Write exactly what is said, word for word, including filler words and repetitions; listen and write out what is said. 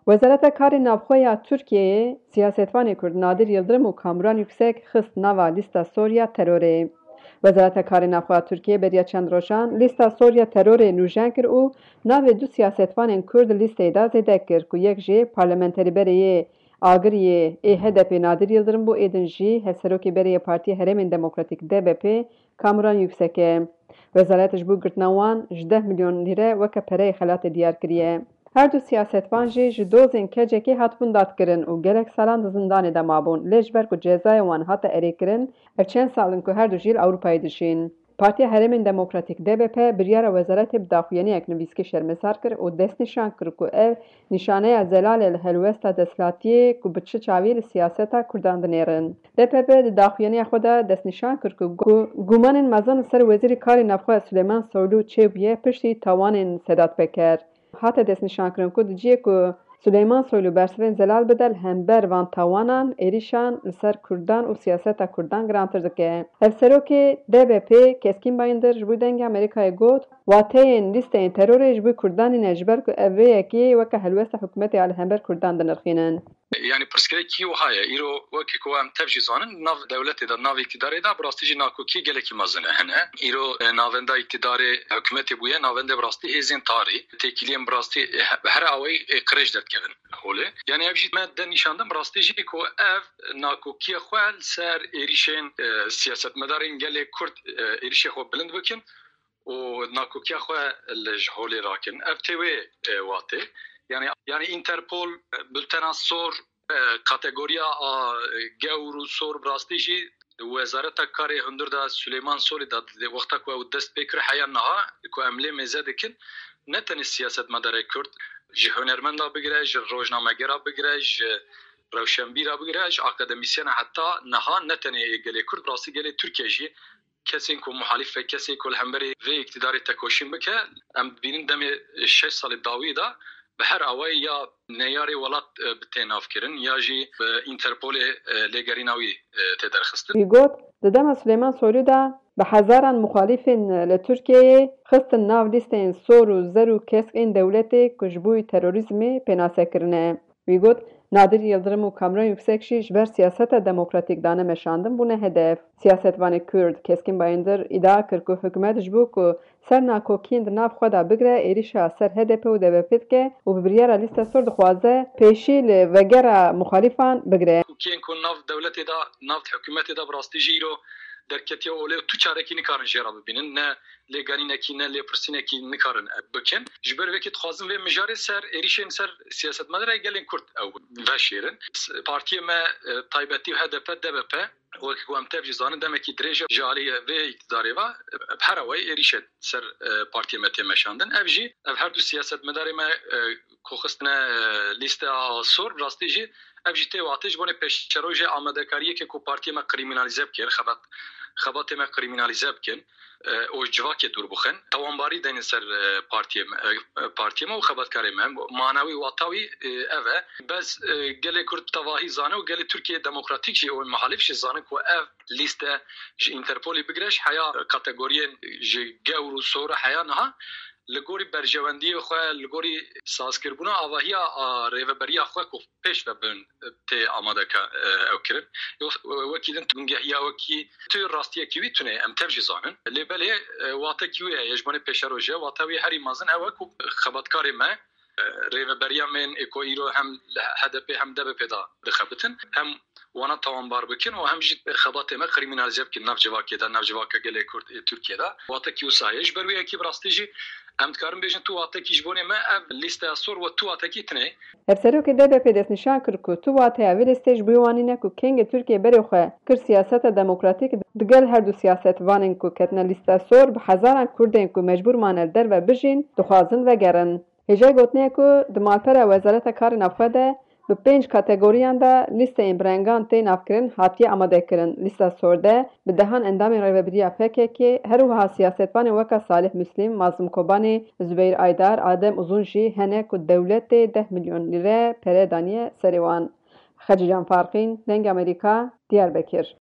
Wezareta Karê Navxwe ya Tirkiyeyê siyasetvanê Kurd Nadir Yildirim û Kamuran Yüksek xist nava lîsta sor ya terorê. Wezareta Karê Navxwe ya Tirkiyê beriya çend rojan lîsta sor ya terorê nûjen kir û navê du siyasetvanên Kurd lîsteyê de zêde kir ku yek jê parlamenterê berê yê Agiriyê ê H D P Nadir Yildirim bû, ê din jî hevserokê berê yê Partiya Herêmên Demokratîk D B P Kamuran Yüksek e. Wezaret ji bo girtina wan ji deh milyon lîre weke pereyê xelatê diyar kiriye. Her du siyasetvan jî ji dozên kecekê hatibûn dadkirin û gelek salan di zindanê de mabûn, lê ji ber ku cezayê wan hate erêkirin, ev çend sal in ku her du jî li Ewropayê dijîn. Partiya Herêmên Demokratîk D B P biryara wezaretê bi daxuyaniyek nivîskê şermezar kir û destnîşan kir ku ev nîşaneya zelalê li helwesta desthilatiyê ku bi çi çavî li siyaseta Kurdan dinêrin. D P P di daxuyaniya xwe de destnîşan kir ku gu-, gumanên mezin li ser Wezîrê Karê Navxwe Suleyman Soylu çêbûye piştî tawanên Sedat Peker. Hate destnîşankirin ku di cihê ku Suleyman Soylu bersivên zelal bide li hember van tawanan, êrîşan li ser Kurdan û siyaseta Kurdan girantir dike. Hevserokê D B P Keskîn Bayindir ji bo Dengê Amerîkayê got, wateyên lîsteyên terorê ji bo Kurdan nîne, ji ber ku ev vê yekê weke helwesta hikûmetê ya li hember Kurdan dinirxînin. Yanî pirsgirêkî wiha ye. Îro wekî ku em tev jî zanin, nav dewletê de, nav îktidarê de bi rastî jî nakokî gelekî mezin e hene. Îro, e, navenda îktidarê hikûmetê bûye, navendê bi rastî hêzên tarî, têkiliyên bi rastî, e, he-, bi her awayî, e, qirêj derdikevin holê. Yanî ev jî me de nîşan da bi rastî jî ku ev nakokiya xwe li ser êrîşên, e, siyasetmedarên gelê Kurd, e, êrîşê xwe bilind bikin û nakokiya xwe li ji holê rakin. Ev tê wê, e, watê. Yanî, yanî Interpol, e, bultena sor, e, kategoriya a, e, gewr û sor bi rastî jî di Wezareta Karê Hundir de Suleyman Soylu de, di wexta ku ew dest pê kir heya niha ku em lê mêze dikin, ne tenê siyasetmedarê Kurd, ji hunermenda bigire, ji rojnamegera bigire, ji rewşenbîra bigire, ji akademîsyena heta niha ne tenê gelê Kurd, bi rastî gelê Tirkiye jî kesên ku muhalîf e, kesên ku li hemberî vê îktidarê tekoşîn bike, em dibînin demê şeş salê dawî de bi her awayî ya neyarê welat, e, bi tê navkirin ya jî, e, Interpolê, e, lêgerîna wî, e, tê derxistin. Wî got, di dema Suleyman Soylu de bi hezaran muxalîfên li Tirkiyeyê xistin nav lîsteyên sor û zer û keskên dewletê ku ji bo terorîzmê pênase kirine. Wî got, Nadir Yildirim û Kamran Yüksek jî ji ber siyaseta demokratîk dane meşandin bûne hedef. Siyasetvanê Kurd Keskîn Bayindir îdia kir ku hikûmet ji bo ku ser nakokiyên di nav xwe de bigire, êrîşa ser H D P û D B P dike û bi biryara lîsta sor dixwaze pêşî li vegera muxalîfan bigire. Nakokiyên ku nav dewletê de, nav hikûmetê de bi rastî jî îro derketiye olê û tu çarekî nikarin jê re bibînin. Ne lêgerînekî ne lêpirsînekî nikarin bikin. Ji ber vê yekê dixwazin vê mijarê ser êrîşên ser siyasetmedarê gelên Kurd ew veşêrin. Partiyê me, e, taybetî H D P, D B P, wekî ku em tev jî zanin, demekî dirêj e ji alî vê îktidarê ve, e, bi her awayî êrîşên ser, e, partiyê me tê meşandin. Ev jî, ev her du siyasetmedarê me, e, ku xistine, e, lîsteya sor, bi rastî jî ev jî tê wate ji bo pêşerojê amadekariyekê ku partiyê me krîmînalîze bikin, xebat-, xebatê me krîmînalîze bikin, e, û ji civakê dûr bixin. Tawanbarî denin ser, e, partiyê me, e, partiyê me û xebatkarê me. Manawî, wata wî, e, ev e. Bes, e, gelê Kurd tevahî zane û gelê Tirkiye demokratîk jî û muhalîf jî zanin ku ev lîste ji Interpolê bigire, ji heya kategoriyên ji gewr û sor heya niha li gorî berjewendiyê xwe, li gorî sazkirbûna avahiya a rêveberiya xwe ku pêş ve bin tê amadeke, e, ew kirin. Yo, e, wekî din tungehîya wekî tu rastiyekî wî tune em tev jî zanin. Lê belê, e, watekî wê heye, ji bo pêşerojê wate wî herî mezin ew e ku xebatkarê me, e, rêveberiya me ê ku îro hem li H D P hem D B P de dixebitin, hem wana tawanbar bikin û hem jî xebatê me krîmînalîze bikin nav civakê de, nav civaka gelê Kurd ê Tirkiye de. Watekî wisa heye. Ji ber wê yekê bi rastî jî em dikarin bêjin tu watekî ji bo me ev lîsteya sor we tu watekî tune. Hevserokê D B P destnîşan kir ku tu wateya vê lîsteyê ji bo wan nîne ku kengê Tirkiye berê xwe kir siyaseta demokratîk, digel her du siyasetvanên ku ketine lîsteya sor, bi hezaran Kurdên ku mecbûr mane li derve bijîn, dixwazin vegerin. Hêjayî gotinê ye ku di malpera Wezareta Karê Navxwe de bi pênc kategoriyan de lîsteyên bi rengan tê navkirin hatiye amadekirin. Lîsta sor de bi dehan endamên rêvebiriya P K K, her wiha siyasetvanên weke Salih Muslim, Mazlum Kobanî, Zubeyir Aydar, Adem Uzun jî hene ku dewletê deh milyon lîre pere daniye serê wan. Xecîcan Farqîn, Dengê Amerîka, Diyarbekir.